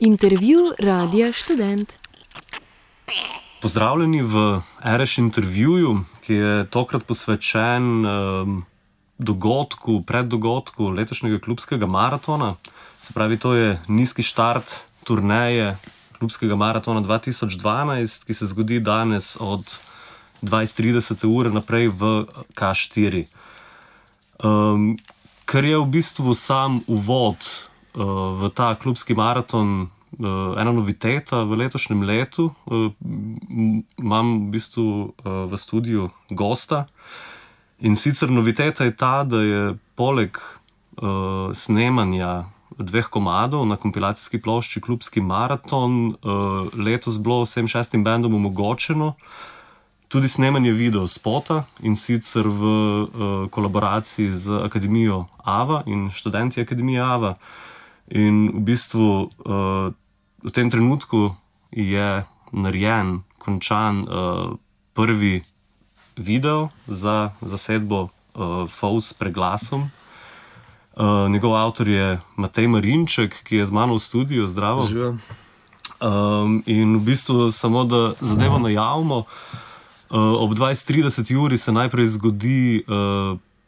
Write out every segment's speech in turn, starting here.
Intervju Radia Študent. Pozdravljeni v RŠ intervjuju, ki je tokrat posvečen preddogodku letošnjega klubskega maratona. Se pravi, to je nizki štart turneje klubskega maratona 2012, ki se zgodi danes od 20:30 ure naprej v K4. Ker je v bistvu sam uvod v ta klubski maraton ena noviteta v letošnjem letu, imam v bistvu v studiu gosta. In sicer noviteta je ta, da je poleg snemanja 2 komadov na kompilacijski plošči Klubski maraton letos bilo vsem 6 bendom omogočeno tudi snemanje videospota, in sicer v kolaboraciji z Akademijo AVA in študenti Akademije AVA. In v bistvu v tem trenutku je narejen, končan prvi video za zasedbo Fous s preglasom. Njegov avtor je Matej Marinček, ki je z mano v studiu. Zdravo. In v bistvu samo da zadevo najavimo, ob 20:30 uri se najprej zgodi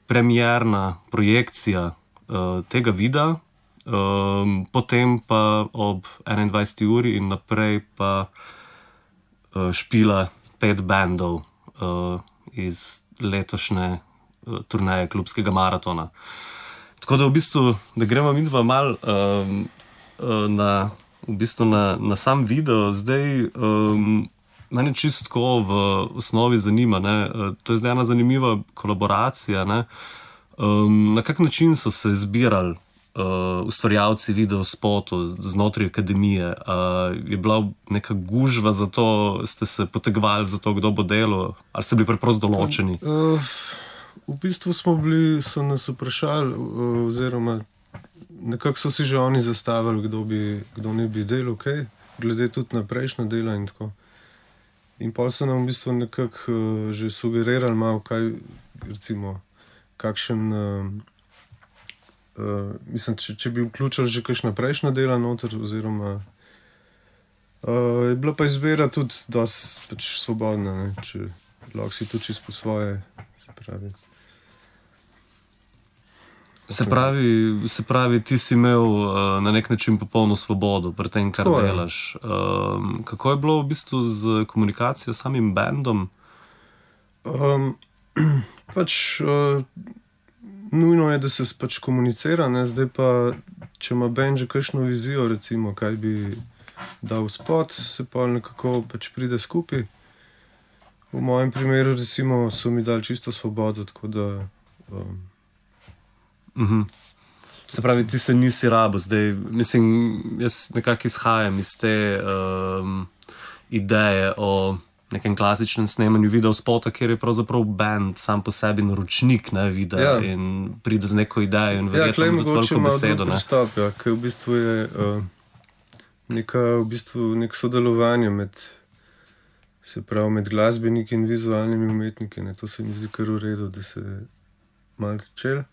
premierna projekcija tega videa, potem pa ob 21. uri in naprej pa špila 5 bandov iz letošnje turneje klubskega maratona. Tako da v bistvu, da gremo midva malo na sam video. Zdaj, mene čistko v osnovi zanima, ne? To je zdaj ena zanimiva kolaboracija, ne? Na kak način so se zbirali ustvarjalci videospotov znotraj Akademije? Je bila neka gužva za to, ste se potegovali za to, kdo bo delal, ali ste bili preprosto določeni? V bistvu so nas vprašali, oziroma nekako so si že oni zastavili, kdo ne bi delal, okay? Glede tudi na prejšnja dela in tako. In pa so nam v bistvu nekako že sugerirali malo, kaj, recimo, kakšen, mislim, če bi vključili že kakšna prejšnja dela noter, oziroma je bila pa izbira tudi dosti pač svobodna, ne? Če lahko si tudi čisto po svoje, Se pravi, ti si imel na nek način popolno svobodo pri tem, kar delaš. Kako je bilo v bistvu z komunikacijo s samim bandom? Nujno je, da se pač komunicira, ne? Zdaj pa, če ima band že kakšno vizijo, recimo, kaj bi dal spot, se pa nekako pač pride skupaj. V mojem primeru, recimo, so mi dali čisto svobodo, tako da... Se pravi, ti se nisi rabo zdaj, mislim, jaz nekako izhajam iz te ideje o nekem klasičnem snemanju videospota, kjer je pravzaprav band sam po sebi naročnik, ne, videa, in pride z neko idejo in verjetno ima tudi veliko besedo, ne. Pristop, ker v bistvu je nek sodelovanje med glasbeniki in vizualnimi umetniki, ne. To se mi zdi kar v redu, da se malo začel.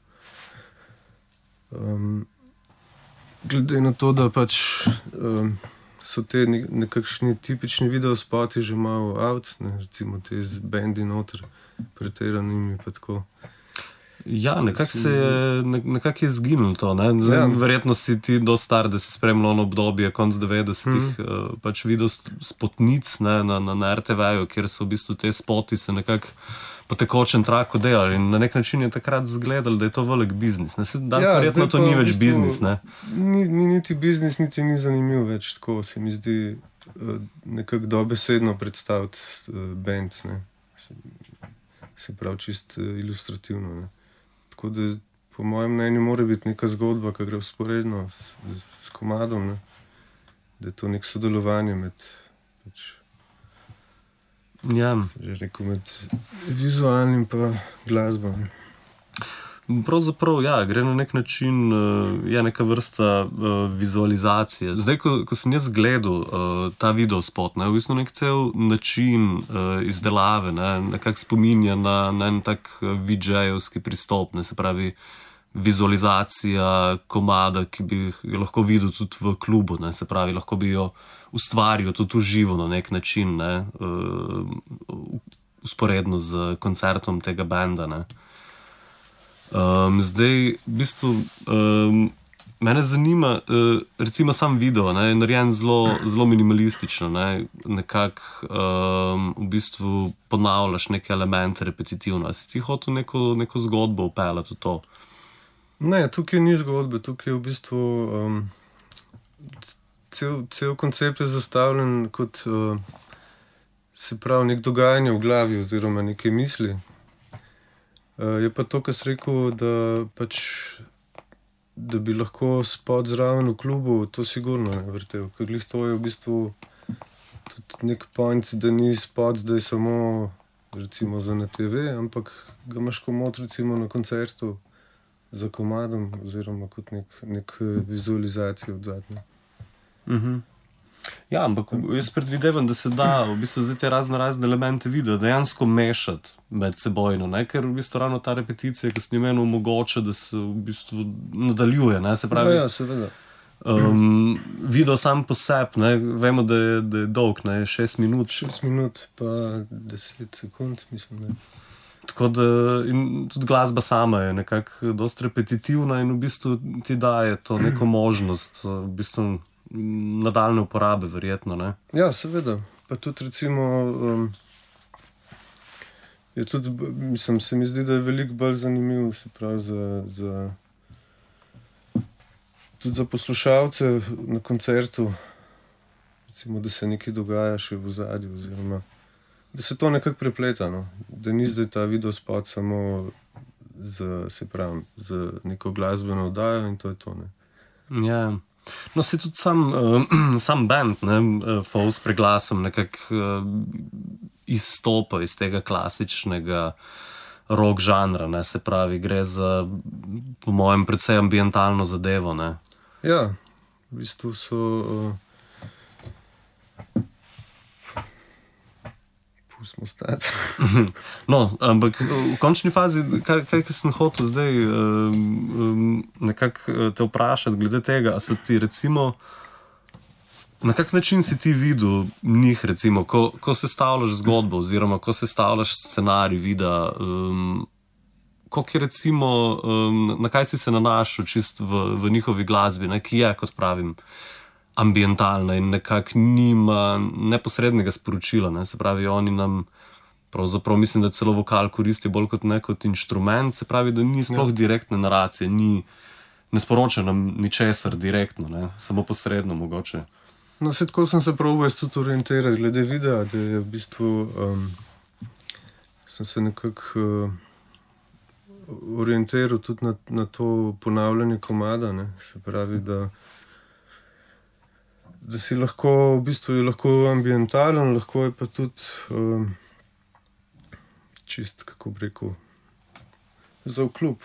Glede na to, da pač so te nekakšni tipični videospoti že malo out, ne, recimo te z bendi noter pretiranimi pa tako. Ja, nekako je zginilo to, ne. Zdaj, verjetno si ti dosti star, da si spremljal ono obdobje konc 90-ih pač videospotnic, ne, na RTV-ju, kjer so v bistvu te spoti se nekako po tekočem traku delali in na nek način je takrat zgledali, da je to velik biznis. Danes verjetno to ni več biznis, ne? Ni niti biznis, niti ni zanimiv več, tako se mi zdi nekako dobesedno predstaviti band, ne? Se pravi čist ilustrativno, ne? Tako da po mojem mnenju mora biti neka zgodba, ki gre vzporedno s komadom, ne? Da je to nek sodelovanje med pač... Ja. Že rekel, med vizualnim pa glasbom. Pravzaprav, ja, gre na nek način, je neka vrsta vizualizacije. Zdaj, ko sem jaz gledal ta videospot, ne, v bistvu nek cel način izdelave, ne, nekako spominja na en tak VJ-evski pristop, ne, se pravi, vizualizacija komada, ki bi jo lahko videl tudi v klubu, ne? Se pravi, lahko bi jo ustvaril tudi v živo na nek način, ne? Usporedno z koncertom tega benda. Ne? Zdaj, v bistvu, mene zanima, recimo sam video, ne, je narejen zelo minimalistično, ne, nekako v bistvu ponavljaš neke elemente repetitivno. Si ti hotel neko zgodbo upeljati v to? Ne, tukaj ni zgodbe, tukaj je v bistvu cel koncept je zastavljen kot se pravi nek dogajanje v glavi oziroma neke misli. Je pa to, kar si rekel, da bi lahko spot zraven v klubu, to sigurno ne vrtel. Ker glih to je v bistvu tudi nek point, da ni spot zdaj samo recimo za na TV, ampak ga imaš komot recimo na koncertu za komadom oziroma kot nek vizualizacijo odzadnje. Ja, ampak jaz predvidevam, da se da v bistvu zdaj te razne elemente videa dejansko mešati med sebojno, ne? Ker v bistvu ravno ta repeticija, ki s njim omogoča, da se v bistvu nadaljuje, ne? Se pravi, ja, seveda. Video sam po sebi, ne? Vemo, da je dolg, ne? 6 minut. 6 minut pa 10 sekund, mislim, da. Tako da in tudi glasba sama je nekako dosti repetitivna in v bistvu ti daje to neko možnost, v bistvu nadaljne uporabe, verjetno, ne? Ja, seveda. Pa tudi recimo je tudi, mislim, se mi zdi, da je veliko bolj zanimiv, se pravi, tudi za poslušalce na koncertu, recimo, da se nekaj dogaja še v ozadju, oziroma da se to nekako prepleta, no? Da ni zdaj ta videospot samo za neko glasbeno oddajo in to je to, ne? Ja. No, se tudi sam band, ne, Faux preglasom nekako izstopa iz tega klasičnega rock žanra, ne, se pravi, gre za, po mojem, precej ambientalno zadevo, ne. Ja, v bistvu so pustimo stati. No, ampak v končni fazi, kaj sem hotel zdaj nekako te vprašati glede tega, a so ti recimo, na kak način si ti videl njih recimo, ko sestavljaš zgodbo oziroma ko sestavljaš scenarij videa, koliko je recimo, na kaj si se nanašal čist v njihovi glasbi, ne, ki je, kot pravim, ambientalna in nekako nima neposrednega sporočila, ne? Se pravi, oni nam pravzaprav, mislim, da celo vokal koristi bolj kot kot inštrument, se pravi, da ni sploh direktne naracije, ne sporoča nam ničesar direktno, ne? Samo posredno mogoče. No, se tako sem se probal tudi orientirati glede videa, da je v bistvu sem se nekako orientiral tudi na to ponavljanje komada, ne? Se pravi, da si lahko, v bistvu je lahko ambientalen, lahko je pa tudi čist, kako bi rekel, za v klub.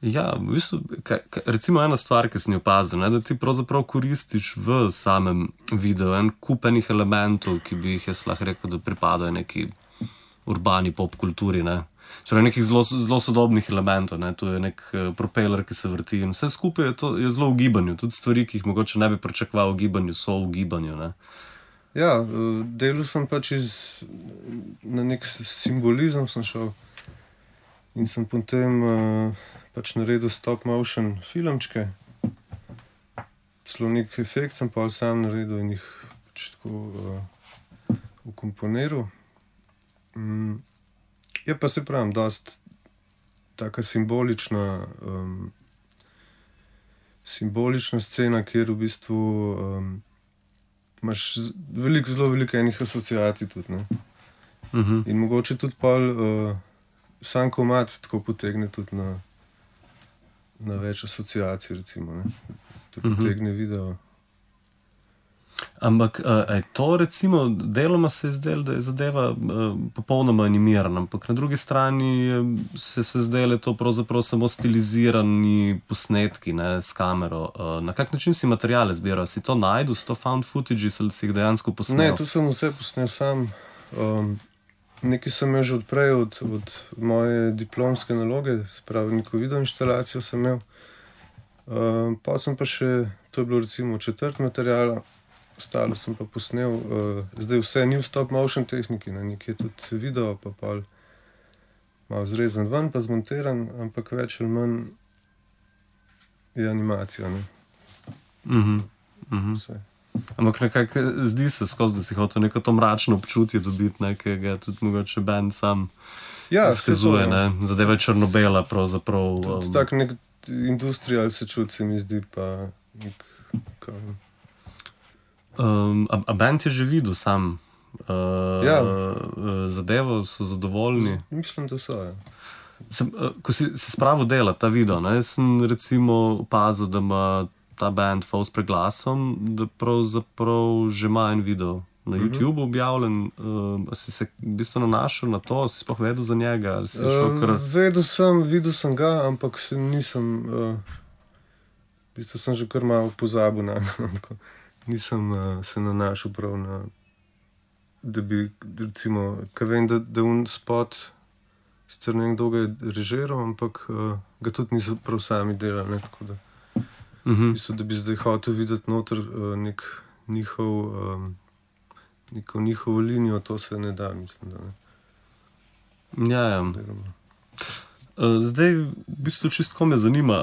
Ja, v bistvu, recimo ena stvar, ki sem jo opazil, da ti pravzaprav koristiš v samem videu en kup enih elementov, ki bi jih jaz lahko rekel, da pripadajo neki urbani pop kulturi, ne. Torej nekih zelo sodobnih elementov, ne. Tu je nek propeler, ki se vrti in vse skupaj je zelo v gibanju. Tudi stvari, ki jih mogoče ne bi pričakoval v gibanju, so v gibanju, ne. Ja, delal sem pač na nek simbolizem sem šel in sem potem pač naredil stop motion filmčke. Celo nek efekt sem pa sam naredil in jih pač tako ukomponiral. Je pa se pravim, dosti taka simbolična scena, kjer v bistvu imaš zelo veliko enih asociacij tudi, ne. In mogoče tudi pol sam komad tako potegne tudi na več asociacij, recimo, ne. To potegne video. Ampak je to recimo, deloma se je zdelo, da je zadeva popolnoma animirana, ampak na drugi strani se zdelo to pravzaprav samo stilizirani posnetki, ne, s kamero. Na kak način si materiale zbiral? Si to najdel, si to found footage ali si jih dejansko posnel? Ne, to sem vse posnel sam. nekaj sem imel že odprej od moje diplomske naloge, se pravi, neko videoinštalacijo sem imel. Pa sem pa še, to je bilo recimo četrt materiala, ostalo sem pa posnel, zdaj vse ni v stop motion tehniki, nekje tudi video, pa malo zrezan ven, pa zmontiran, ampak več ali manj je animacija, ne. Vse. Ampak nekako zdi se skozi, da si hotel neko to mračno občutje dobiti, nekega tudi mogoče band sam izkazuje, ne. Zadeva je črno-bela pravzaprav. Tudi tak nek industrial se čuti, se mi zdi, pa nek... A band je že videl sam zadevo, so zadovoljni? Mislim, da so, ja. Ko si spravil delati ta video, ne, sem recimo opazil, da ima ta band False preglasom, da pravzaprav že ima en video na YouTubeu objavljen. Si se v bistvu nanašal na to, si sploh vedel za njega? Ali si šel kar... Videl sem ga, ampak se nisem, v bistvu sem že kar malo pozabil na nisem se nanašal prav na, da bi recimo, kaj vem, da un spot sicer ne vem, kdo ga je režiral, ampak ga tudi niso prav sami delali, ne, tako da mislim, da bi zdaj hotel videti noter neko njihovo linijo, to se ne da, mislim, da ne. Ja. Zdaj, v bistvu čistko me zanima,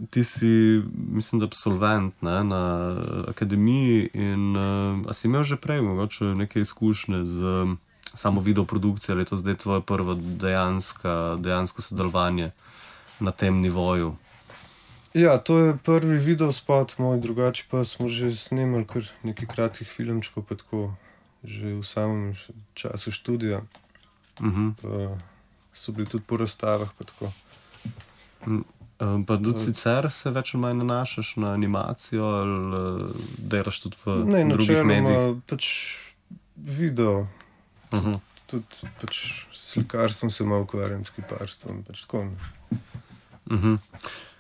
ti si, mislim, da absolvent, ne, na akademiji in a si imel že prej mogoče neke izkušnje z samo videoprodukcijo, ali je to zdaj tvoje prvo dejansko sodelovanje na tem nivoju? Ja, to je prvi videospot moj, drugače pa smo že snemali kar nekaj kratkih filmčkov, pa tako že v samem času študija. Pa so bili tudi po razstavah, pa tako. Pa tudi sicer se več ali manj nanašaš na animacijo ali delaš tudi v drugih medijih? Ne, pač video. Tudi pač slikarstvom se malo ukvarjam, s kiparstvom, pač tako.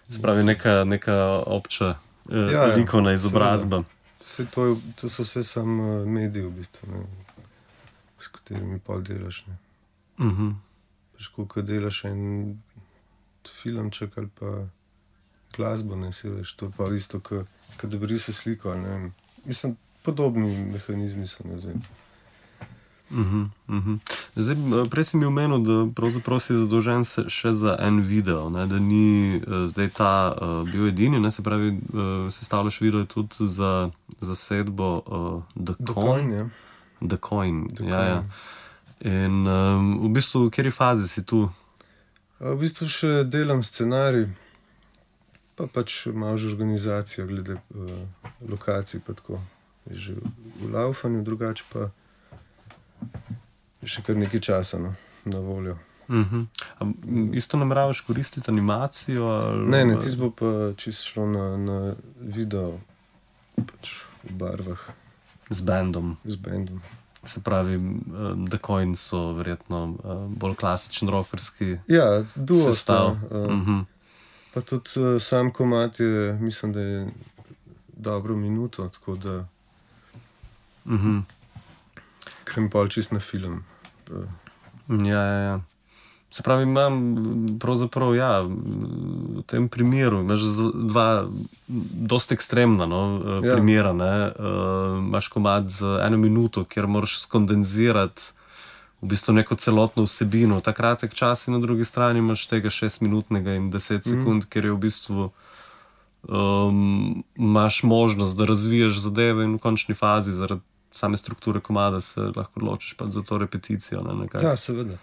Se pravi, neka obča likovna izobrazba. To so vse samo mediji v bistvu, ne, s katerimi pol delaš. Pač koliko delaš en filmček ali pa glasbo, ne, se veš, to pa isto, kot da bi risal sliko, ali ne vem. Mislim, podobni mehanizmi so, ne vem. Zdaj, prej si mi omenil, da pravzaprav si zadolžen še za en video, ne, da ni zdaj ta bil edini, ne, se pravi, sestavljaš video tudi za zasedbo The Coin. The Coin, ja. In v bistvu, v kateri fazi si tu? V bistvu še delam scenarij, pa pač malo že organizacijo glede lokacij, pa tako. Je že v laufanju, drugače pa še kar nekaj časa na voljo. Isto nameravaš koristiti animacijo? Ali... Ne, tisto bo pa čisto šlo na video, pač v barvah. Z bandom? Z bandom. Se pravi, The Coin so verjetno bolj klasičen rockerski sestav. Pa tudi sam komad je, mislim, da je dobro minuto, tako da grem pol čist na film. Ja. Se pravi, imam pravzaprav, v tem primeru imaš dva dosti ekstremna primera, ne. Imaš komad z 1 minuto, kjer moraš skondenzirati v bistvu neko celotno vsebino. Ta kratek čas in na drugi strani imaš tega 6-minutnega in 10 sekund, kjer je v bistvu imaš možnost, da razviješ zadeve in v končni fazi zaradi same strukture komada se lahko odločiš pa za to repeticijo. Ja, seveda.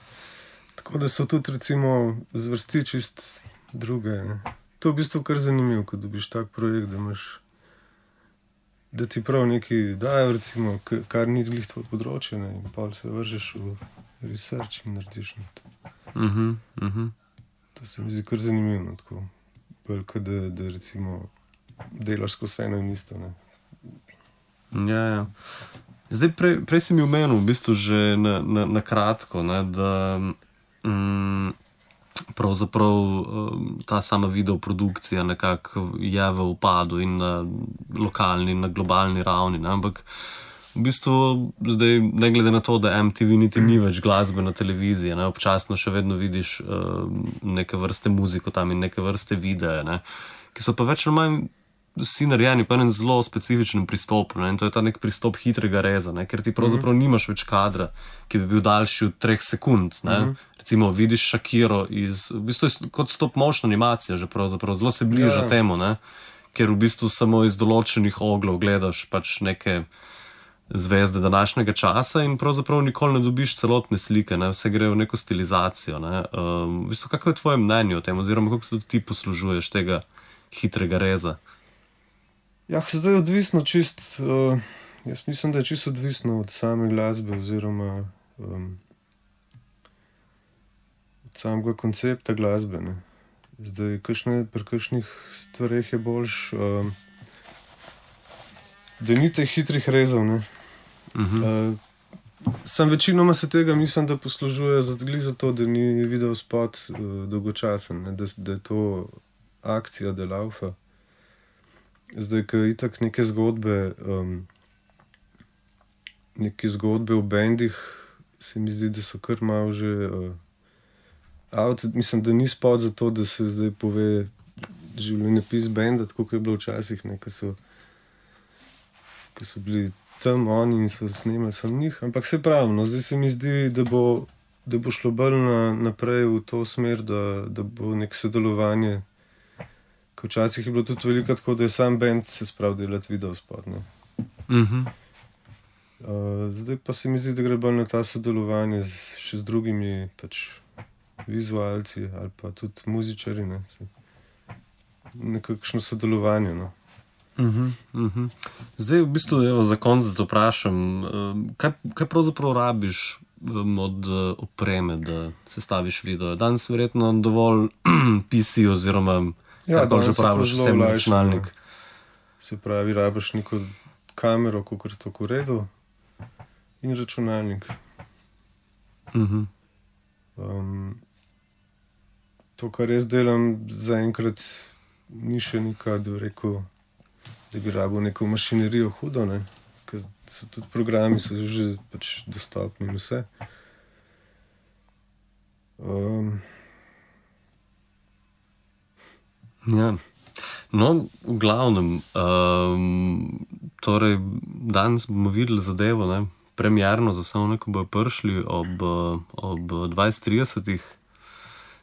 Tako da so tudi recimo zvrsti čist druge. Ne. To je v bistvu kar zanimivo, ko dobiš tak projekt, da ti prav nekaj dajo, recimo, kar ni glih tvoje področje, ne, in pol se vržeš v research in narediš. To se mi zdi kar zanimivo, tako. Bolj, kot da recimo delaš skozi eno in isto. Ne. Ja. Zdaj, prej si mi omenil v bistvu že na kratko, ne, da pravzaprav ta sama videoprodukcija nekako je v upadu in na lokalni in na globalni ravni, ne, ampak V bistvu, zdaj, ne glede na to, da MTV niti ni več glasbe na televiziji, ne, občasno še vedno vidiš neke vrste muziko tam in neke vrste videe, ne, ki so pa več ali manj vsi narejeni po enem zelo specifičnem pristopu, ne, in to je ta nek pristop hitrega reza, ne, ker ti pravzaprav nimaš več kadra, ki bi bil daljši od 3 sekund. Ne. Recimo vidiš Shakiro v bistvu je kot stop motion animacija že pravzaprav, zelo se bliža temu, ne, ker v bistvu samo iz določenih oglov gledaš pač neke zvezde današnjega časa in pravzaprav nikoli ne dobiš celotne slike, ne? Vse gre v neko stilizacijo. Ne? V bistvu, kako je tvoje mnenje o tem, oziroma kako se ti poslužuješ tega hitrega reza? Ja, zdaj je odvisno jaz mislim, da je čisto odvisno od same glasbe oziroma od samega koncepta glasbe. Ne? Zdaj, pri kakšnih stvareh je boljš, da ni teh hitrih rezov, ne. Sam večinoma se tega mislim, da poslužuje zato, da ni video spot dolgočasen, ne? Da je to akcija, da laufa. Zdaj, ko itak neke zgodbe o bendih, se mi zdi, da so kar malo že mislim, da ni spot za to, da se zdaj pove življenjepis benda, tako kot je bilo včasih, ne, ki so bili tam oni in so snemali sam njih, ampak se pravi, no, zdaj se mi zdi, da bo šlo bolj naprej v to smer, da bo nek sodelovanje, ker včasih je bilo tudi veliko tako, da je sam band se spravil delati video spot, ne. Zdaj pa se mi zdi, da gre bolj na ta sodelovanje še z drugimi pač vizualci ali pa tudi muzičari, ne. Nekakšno sodelovanje, no. Zdaj, v bistvu, za konec da te vprašam, kaj pravzaprav rabiš od opreme, da sestaviš video? Danes verjetno dovolj PC oziroma kako že praviš, vsem računalnik. Se pravi, rabiš neko kamero, kakor to v redu, in računalnik. To, kar jaz delam, zaenkrat ni še neka, da bi rekel, da bi rabil neko mašinerijo hudo, ne, ker so tudi programi so že pač dostopni in vse. Ja. No, v glavnem, torej danes bomo videli zadevo, ne, premierno za vse one, ko bojo prišli ob 20:30.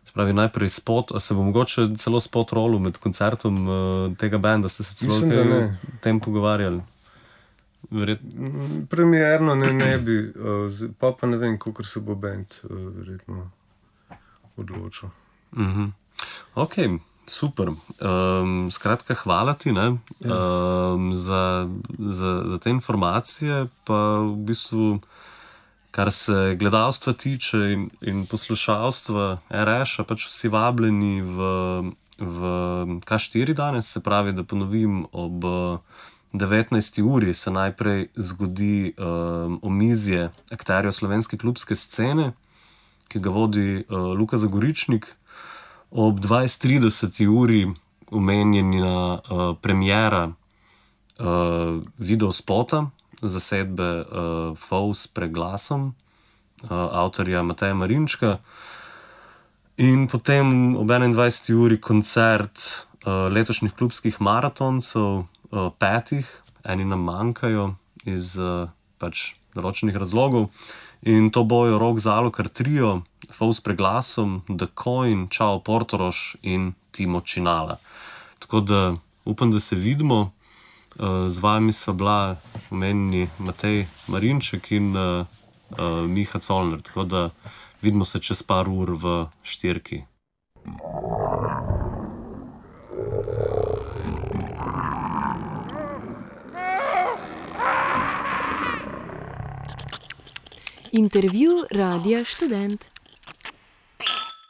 Se pravi, najprej spot, a se bo mogoče celo spot rolil med koncertom tega benda, ste se celo o tem pogovarjali? Premierno ne bi, pa ne vem, kakor se bo bend verjetno odločil. Ok, super. Skratka, hvala ti, ne, za te informacije, pa v bistvu kar se gledalstva tiče in poslušalstva RŠ-a, pač vsi vabljeni v K4 danes, se pravi, da ponovim, ob 19. uri se najprej zgodi omizje akterjev slovenske klubske scene, ki ga vodi Luka Zagoričnik. Ob 20:30 uri omenjena premiera videospota zasedbe Fous preglasom avtorja Mateja Marinčka in potem ob 21. uri koncert letošnjih klubskih maratoncev, 5, eni nam manjkajo iz pač določenih razlogov in to bojo Rok Zalokar trio, Fous preglasom, The Coin, Čao Portorož in Timo Činala. Tako da upam, da se vidimo. Z vami sva bila omenjeni Matej Marinček in Miha Colner, tako da vidimo se čez par ur v Štirki. Intervju Radia Študent.